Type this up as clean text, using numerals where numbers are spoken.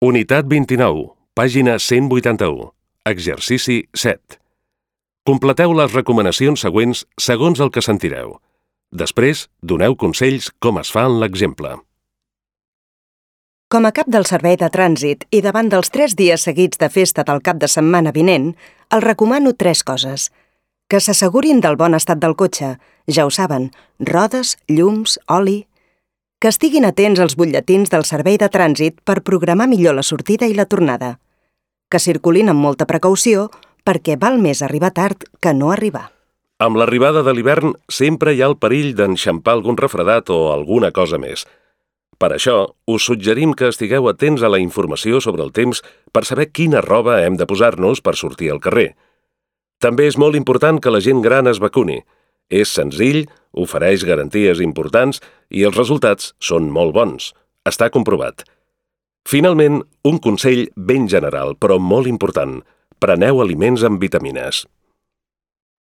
Unitat 29, pàgina 181, exercici 7. Completeu les recomanacions següents segons el que sentireu. Després, doneu consells com es fa en l'exemple. Com a cap del servei de trànsit i davant dels 3 dies seguits de festa del cap de setmana vinent, els recomano 3 coses. Que s'assegurin del bon estat del cotxe, ja ho saben, rodes, llums, oli. Que estiguin atents als butlletins del servei de trànsit per programar millor la sortida i la tornada. Que circulin amb molta precaució perquè val més arribar tard que no arribar. Amb l'arribada de l'hivern sempre hi ha el perill d'enxampar algun refredat o alguna cosa més. Per això, us suggerim que estigueu atents a la informació sobre el temps per saber quina roba hem de posar-nos per sortir al carrer. També és molt important que la gent gran es vacuni. És senzill, ofereix garanties importants i els resultats són molt bons. Està comprovat. Finalment, un consell ben general, però molt important. Preneu aliments amb vitamines.